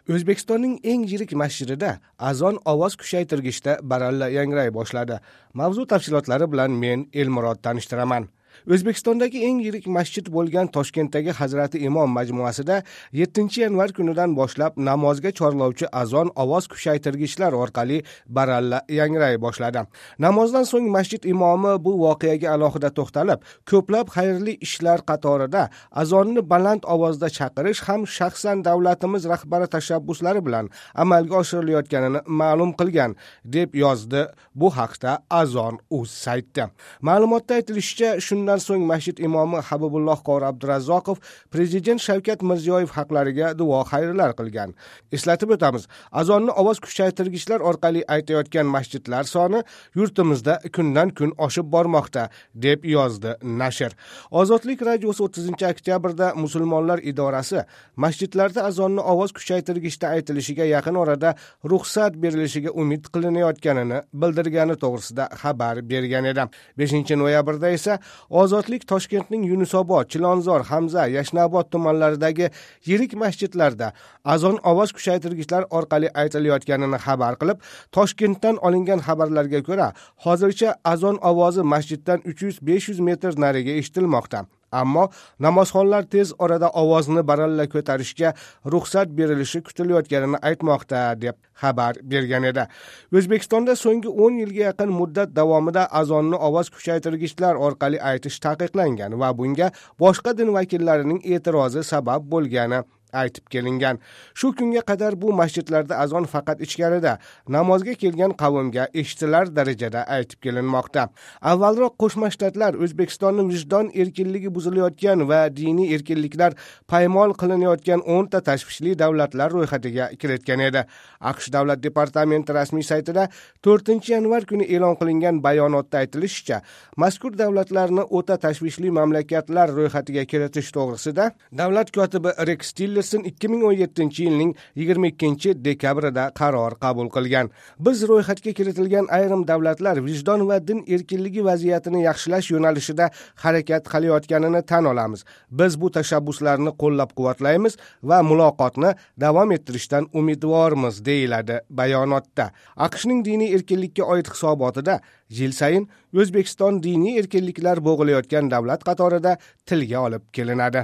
O'zbekistonning eng yirik masjidida azon ovoz kuchaytirgichda baralla yangray boshladi. Mavzu tafsilotlari bilan men Elmurod tanishtiraman. O'zbekistondagi eng yirik masjid bo'lgan Toshkentdagi Hazrati Imom majmuasida 7-yanvar kunidan boshlab namozga chorlovchi azon ovoz kuchaytirgichlar orqali baralla yangray boshladi. Namozdan so'ng masjid imomi bu voqeaga alohida to'xtalib, ko'plab xayrli ishlar qatorida azonni baland ovozda chaqirish ham shaxsan davlatimiz rahbari tashabbuslari bilan amalga oshirilayotganini ma'lum qilgan, deb yozdi bu haqda Azon.uz sayti. Ma'lumotda aytilishicha, shundan so'ng masjid imomi Habibulloh Qori Abdurazzoqov prezident Shavkat Mirziyoyev haqlariga duo xayrlar qilgan. Eslatib o'tamiz, azonni ovoz kuchaytirgichlar orqali aytayotgan masjidlar soni yurtimizda kundan kun oshib bormoqda, deb yozdi nashr. Ozodlik radiosi 30-oktyabrda Musulmonlar idorasi masjidlarda azonni ovoz kuchaytirgichda aytilishiga yaqin orada ruxsat berilishiga umid qilinayotganini bildirgani to'g'risida xabar bergan edi. 5-noyabrda esa Ozodlik Toshkentning Yunusobod, Chilonzor, Hamza, Yashnobod tumanlaridagi yirik masjidlarda azon ovoz kuchaytirgichlar orqali aytilayotganini xabar qilib, Toshkentdan olingan xabarlarga ko'ra, hozircha azon ovozi masjiddan 300-500 metr nariga eshitilmoqda. Ammo namozxonlar tez orada ovozni baralla ko'tarishga ruxsat berilishi kutilayotganini aytmoqda, deb xabar bergan edi. O'zbekistonda so'nggi 10 yilga yaqin muddat davomida azonni ovoz kuchaytirgichlar orqali aytish taqiqlangan va bunga boshqa din vakillarining e'tirozi sabab bo'lgani aytib kelingan. Shu kunga qadar bu masjidlarda azon faqat ichkarida namozga kelgan qavmga eshitilar darajada aytib kelinmoqda. Avvalroq Qo'shma Shtatlar O'zbekistonning vijdon erkinligi buzilayotgan va diniy erkinliklar paymol qilinayotgan 10 ta tashvishli davlatlar ro'yxatiga kiritgan edi. AQSh Davlat departamenti rasmiy saytida 4-yanvar kuni e'lon qilingan bayonotda aytilishicha, mazkur davlatlarni o'ta tashvishli mamlakatlar ro'yxatiga kiritish to'g'risida davlat kotibi Rex Tillerson 2017-yilning 22-dekabrida qaror qabul qilgan. Biz ro'yxatga kiritilgan ayrim davlatlar vijdon va din erkinligi vaziyatini yaxshilash yo'nalishida harakat qilayotganini tan olamiz. Biz bu tashabbuslarni qo'llab-quvvatlaymiz va muloqotni davom ettirishdan umidvormiz, deyiladi bayonotda. AQShning diniy erkinlikka oid hisobotida yil sayin O'zbekiston diniy erkinliklar bo'g'ilayotgan davlat qatorida tilga olib kelinadi.